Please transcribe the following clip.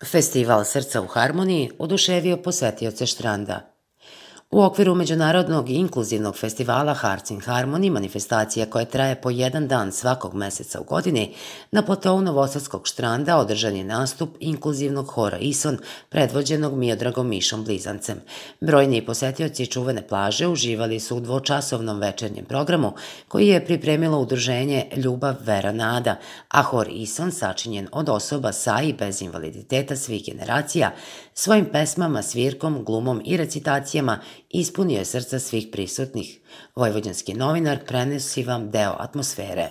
Festival Srca u harmoniji oduševio posetioce Štranda. U okviru Međunarodnog inkluzivnog festivala Hearts in Harmony, manifestacija koja traje po jedan dan svakog meseca u godini, na platovu Novosadskog Štranda održan je nastup inkluzivnog hora Ison, predvođenog Miodragom Mišom Blizancem. Brojni posetioci čuvene plaže uživali su u dvočasovnom večernjem programu koji je pripremilo udruženje Ljubav, vera, nada, a hor Ison, sačinjen od osoba sa i bez invaliditeta svih generacija, svojim pesmama, svirkom, glumom i recitacijama ispunio je srca svih prisutnih. Vojvođanski novinar prenosi vam deo atmosfere.